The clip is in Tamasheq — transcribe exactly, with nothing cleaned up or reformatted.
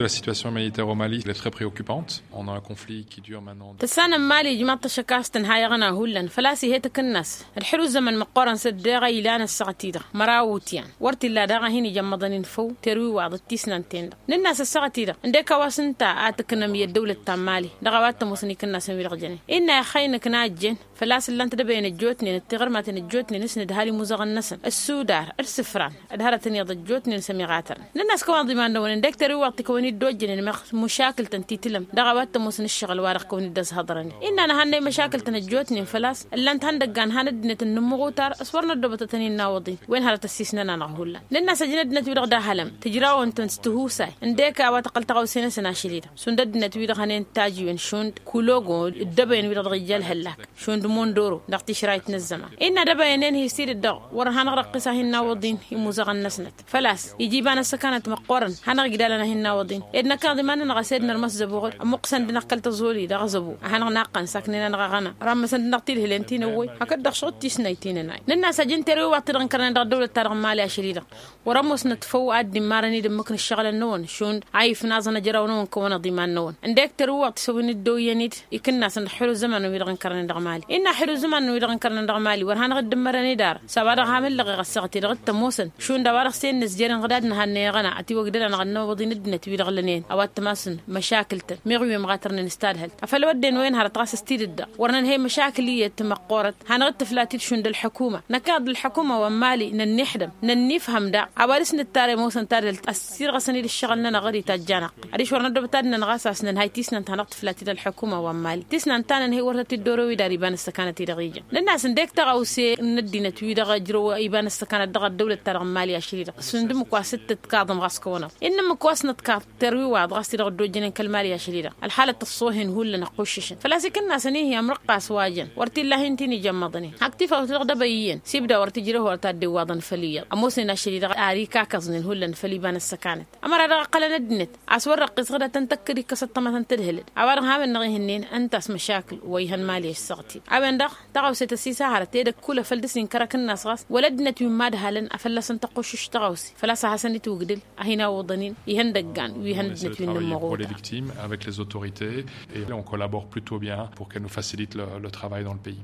La situation humanitaire au mali est très préoccupante. On a un conflit qui dure maintenant. Tăssanăm mali ijmaḍ-t ăššăk a-s tǝnha iɣăna hullan făl-a-s ih'-e tǝkǝnnas d-xǝlu ǝzzăman măqqoorăn s-ăddeɣ a ilan ăssaɣăt-i-dăɣ măraw utyan wăr t-illa daɣ a hin-ijămmăḍăn-in făw terwiwaḍ d-tisnant-en-dăɣ. Nǝnn'-as ăssaɣăt-i-dăɣ ǝndek a-wa s-ǝnta a tǝknăm i-ăddăwlăt ta n-mali dăɣ-a-wa t-ămoosăn ikǝnnasăn-wi-dăɣ jănen innă ixăynăk n-a ăjjeen făl-a-s ǝllan-t dăbăyăn ăjjootnen d-tiɣǝrmaten ăjjootnen s-nǝdhal imuzăɣăn-năsăn ăssudar d-isǝfran d-hărătăn iyyăḍ ăjjootnen s-ămiɣatărăn. Nǝnn'-as kăwăn-iḍiman-năwăn ǝndek terwiwaḍt-i kăwăn-dd-ojjănen meɣ măšakǝl-tăn ti tǝlăm dăɣ-a-wa t-ămoosăn ǝššăɣǝl-wa-dăɣ kăwăn-dd-ăzhăḍrănen. Innă nǝhannăy măšakǝl-tăn ăjjootnen făl-a-s ǝllan-t ihăndăggan han ăddinăt n-inǝmmăɣutar s-wăr năddoobătăt ăninnawăḍ-in wen hărăt ăssiisnăn-anăɣ hullan. Nǝnn'-as ăjǝn ăddinăt-wi-dăɣ d-ahălăm tǝjrawăn-tăn s-tihusay ǝndek a-wa tăqqăl taɣăwse-năsăn ašăl-i-dăɣ šund ăddinăt-wi-dăɣ hănen tajǝywen šund kulogo d-dăbăyăn-wi-dăɣ dăɣ-ija ălhăllak šund mondoro dăɣ-tišrayt n-ăzzăman. Innă dăbăyăn-en hi-s-i-dd-dăɣ wăr hanăɣ-răqqis a hin-nawăḍ-in imuzăɣăn-năsnăt făl-a-s ija iba n-ăssăkanăt măqqoorăn hanăɣ-igdalăn a hin-nawăḍ-in ed năkk iḍiman-nănăɣ a-s ed nărmăs zăbo ɣǝd ămmuqqǝsăn-dd-năɣ kăl-tăẓoli dăɣ-zăbo a hanăɣ-naqqăn s-aknen-anăɣ aɣăna. Ramăsăn-dd-năɣ tilhǝlen ti n-ăwwăy hakd-dăɣ šuɣǝd tisnayt ti n-ănay. Nǝnn'-as ăjǝn terwiwaḍt-i-dăɣ ǝnkărnen dăɣ-ăddăwlăt-ta-dăɣ n-mali ašăl-i-dăɣ wăr-ămoosnăt făw ad-dd-immarăn-dd ǝmmǝk n-ǝššăɣǝlăn-năwăn šund a ifnaẓăn ajraw-năwăn kăwăn-iḍiman-năwăn ǝndek terwiwaḍt isăwăn-dd oyyăn-dd ikǝnnasăn dăɣ-xǝlu ăzzăman-năwăn wi-dăɣ ǝnkărnen dăɣ-mali. Innă xǝlu ăzzăman-năwăn wi-dăɣ ǝnkărnen dăɣ-mali wăr hanăɣ-dd-ǝmmărăn-dd ara s-a-wa-dăɣ hamǝllăɣeɣ ăssaɣăt-i-dăɣ d-tămoosăn šund a-wa-dăɣ s-e-innă ǝzjăren ɣǝdad n-ehăn n-eɣăna ătiwăgdăd-anăɣ ănnăwăḍ-in ăddinăt-wi-dăɣ lănen a-wa t-ămasăn măšakǝl-tăn meɣ wi ămɣatărnen s-tadhălt afăl wădden wa inhărăt ɣas s-tidǝt-dăɣ wăr nǝnhăy măšakǝl iyyăt măqqoorăt hanăɣ-dd-tǝflat-dd šund ălḥukuma. Năkk iḍ ălḥukuma wa n-mali nănnixdăm nănnifhăm daɣ a-wa dăɣ-s nǝttar ămoosăn tadhălt ăssirɣăsăn-dd ǝššăɣǝl-nănăɣ ɣăr-itajj-anăɣ. Adiš wăr năddoobăt ad-nănɣas a-s nănhay tisnant hanăɣ-tǝflat-dd ălḥukuma wa n-mali tisnant ta nănhăy wăr tăt-dd-orăw idar iba n-ăssăkanăt-i-dăɣ ijăn. Nǝnn'-as ǝndek taɣăwse n-ăddinăt-wi-dăɣ ǝjrăw iba n-ăssăkanăt dăɣ-ăddăwlăt-ta-dăɣ n-mali ašăl-i-dăɣ šund ǝmmǝk wa s-tǝtkaḍăm ɣas kăwăn-ăḍ innă ǝmmǝk wa s-nǝtkaḍ terwiwaḍ ɣas ti-dăɣ dd-ojjănen kăl-mali ašăl-i-dăɣ ălxalăt ăṣṣoohen hullan ǝqquššǝšăn făl-a-s ikǝnnasăn-i hi-amrăqqas wa jăn wăr t-illa a hin-t-in-ijămmăḍnen. Hakd tifawt-dăɣ dăbăy iyyăn s-ibda wăr tǝjrăh wăr taddewaḍăn făll-iyyăḍ ămoosnen ašăl-i-dăɣ ar ikakăẓnen hullan făll-iba n-ăssăkanăt. Ămăra dăɣ-iqqălăn ăddinăt a-s wăr răqqis ɣǝdăt ǝntăkkăd ikkăs ăṭṭămătăn tadhǝlăd a-wa-dăɣ ham-innăɣ ihǝnnen ǝnta a-s măšakǝl wa ihăn mali ăssaɣăt-in. A-wen-dăɣ taɣăwse tăsisa hărăt edăgg kull afăl dăr-s inkăr akǝnnas ɣas wăla ăddinăt wi n-imadhalăn a fălla-săn tăqquššǝš taɣăwse făl-a-s ad-hasăn-itwǝgdǝl a hin-awǝḍăn-in ihăndăggan wi ihăn ăddinăt wi n-inǝmmăɣuta. Avec les autorités et on collabore plutôt bien pour qu'elles nous facilitent le travail dans le pays.